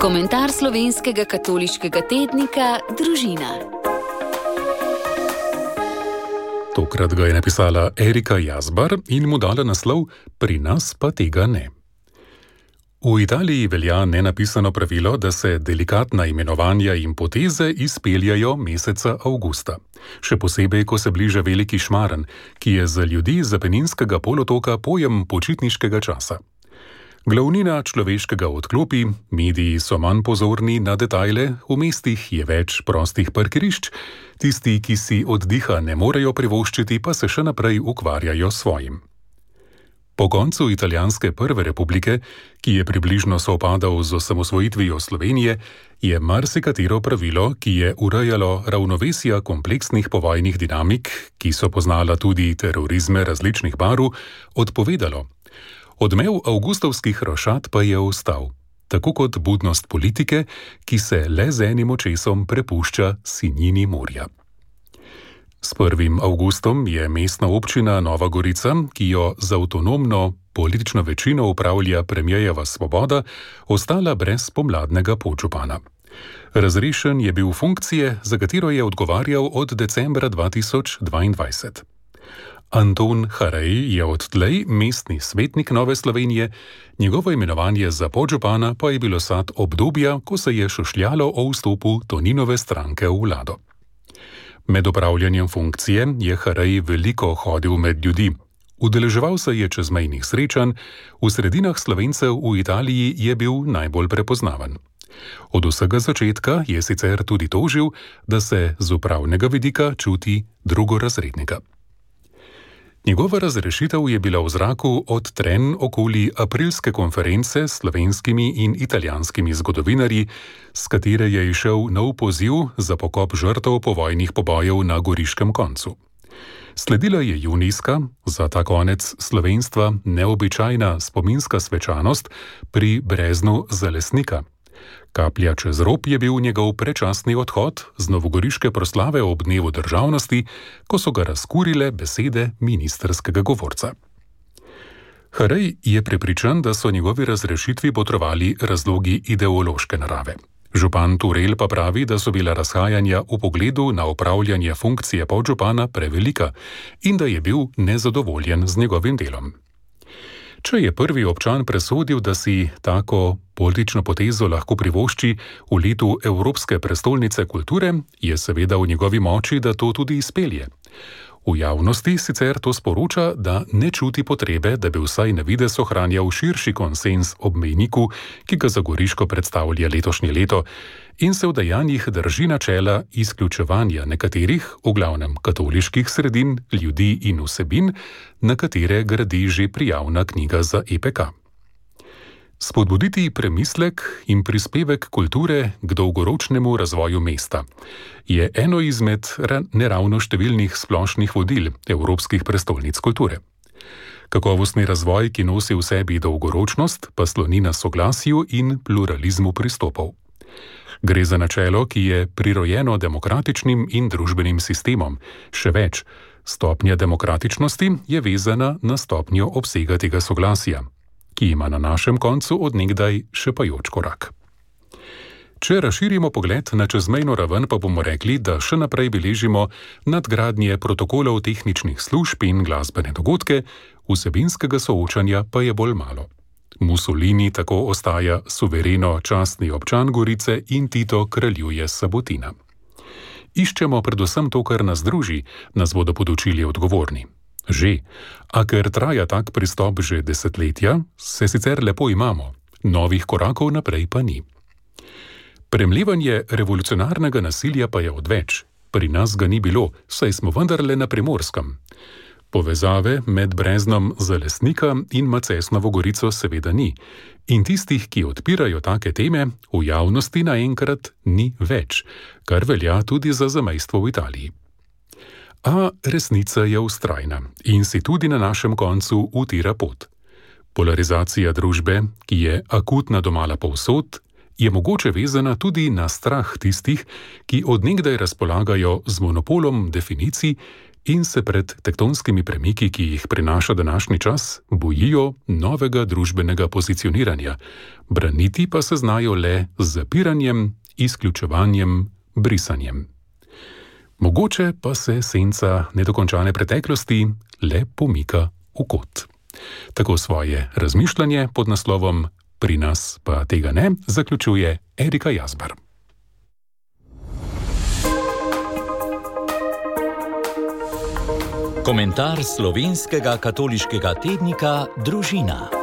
Komentar slovenskega katoliškega tednika Družina. Tokrat ga je napisala Erika Jazbar in mu dala naslov Pri nas pa tega ne. V Italiji velja nenapisano pravilo, da se delikatna imenovanja in poteze izpeljajo meseca avgusta. Še posebej, ko se bliža veliki šmaren, ki je za ljudi z Apeninskega polotoka pojem počitniškega časa. Glavnina človeškega odklopi, mediji so manj pozorni na detajle, v mestih je več prostih parkirišč, tisti, ki si oddiha ne morejo privoščiti, pa se še naprej ukvarjajo s svojim. Po koncu italijanske prve republike, ki je približno sovpadal z osamosvojitvijo Slovenije, je marsikatero pravilo, ki je urejalo ravnovesja kompleksnih povojnih dinamik, ki so poznala tudi terorizme različnih barv, odpovedalo. Odmev avgustovskih rošad pa je ostal, tako kot budnost politike, ki se le z enim očesom prepušča sinjini morja. S 1. avgustom je mestna občina Nova Gorica, ki jo z avtonomno politično večino upravlja premierjeva Svoboda, ostala brez pomladnega podžupana. Razrešen je bil funkcije, za katero je odgovarjal od decembra 2022. Anton Harej je odtlej mestni svetnik Nove Slovenije, njegovo imenovanje za podžupana pa je bilo sad obdobja, ko se je šušljalo o vstopu Toninove stranke v vlado. Med opravljanjem funkcije je Harej veliko hodil med ljudi. Udeleževal se je čezmejnih srečanj, v sredinah Slovencev v Italiji je bil najbolj prepoznaven. Od vsega začetka je sicer tudi tožil, da se z upravnega vidika čuti drugorazrednega. Njegova razrešitev je bila v zraku od trenj okoli aprilske konference s slovenskimi in italijanskimi zgodovinarji, s katere je išel nov poziv za pokop žrtev povojnih pobojev na Goriškem koncu. Sledila je junijska, za ta konec slovenstva neobičajna spominska svečanost pri breznu Zalesnika. Kaplja čez rob je bil njegov predčasni odhod z novogoriške proslave ob dnevu državnosti, ko so ga razkurile besede ministrskega govorca. Harej je prepričan, da so njegovi razrešitvi botrovali razlogi ideološke narave. Župan Turel pa pravi, da so bila razhajanja v pogledu na opravljanje funkcije podžupana prevelika in da je bil nezadovoljen z njegovim delom. Če je prvi občan presodil, da si tako politično potezo lahko privošči v letu Evropske prestolnice kulture, je seveda v njegovi moči, da to tudi izpelje. V javnosti sicer to sporoča, da ne čuti potrebe, da bi vsaj na videz ohranjal širši konsens ob mejniku, ki ga za Goriško predstavlja letošnje leto, in se v dejanjih drži načela izključevanja nekaterih, v glavnem katoliških sredin, ljudi in vsebin, na katere gradi že prijavna knjiga za EPK. Spodbuditi premislek in prispevek kulture k dolgoročnemu razvoju mesta je eno izmed neravno številnih splošnih vodil evropskih prestolnic kulture. Kakovostni razvoj, ki nosi v sebi dolgoročnost, pa sloni na soglasju in pluralizmu pristopov. Gre za načelo, ki je prirojeno demokratičnim in družbenim sistemom. Še več, stopnja demokratičnosti je vezana na stopnjo obsega tega soglasja, ki ima na našem koncu od nekdaj šepajoč korak. Če razširimo pogled na čezmejno raven, pa bomo rekli, da še naprej beležimo nadgradnje protokolov tehničnih služb in glasbene dogodke, vsebinskega soočanja pa je bolj malo. Mussolini tako ostaja suvereno častni občan Gorice in Tito kraljuje Sabotina. Iščemo predvsem to, kar nas druži, nas bodo podučili odgovorni. Že, a ker traja tak pristop že desetletja, se sicer lepo imamo, novih korakov naprej pa ni. Premlevanje revolucionarnega nasilja pa je odveč. Pri nas ga ni bilo, saj smo vendarle na Primorskem. Povezave med breznom Zalesnika in Macesnovo Gorico seveda ni. In tistih, ki odpirajo take teme, v javnosti naenkrat ni več, kar velja tudi za zamejstvo v Italiji. A resnica je vztrajna in si tudi na našem koncu utira pot. Polarizacija družbe, ki je akutna domala povsod, je mogoče vezana tudi na strah tistih, ki od nekdaj razpolagajo z monopolom definicij in se pred tektonskimi premiki, ki jih prinaša današnji čas, bojijo novega družbenega pozicioniranja, braniti pa se znajo le z zapiranjem, izključevanjem, brisanjem. Mogoče pa se senca nedokončane preteklosti le pomika v kot. Tako svoje razmišljanje pod naslovom Pri nas pa tega ne zaključuje Erika Jazbar. Komentar slovenskega katoliškega tednika Družina.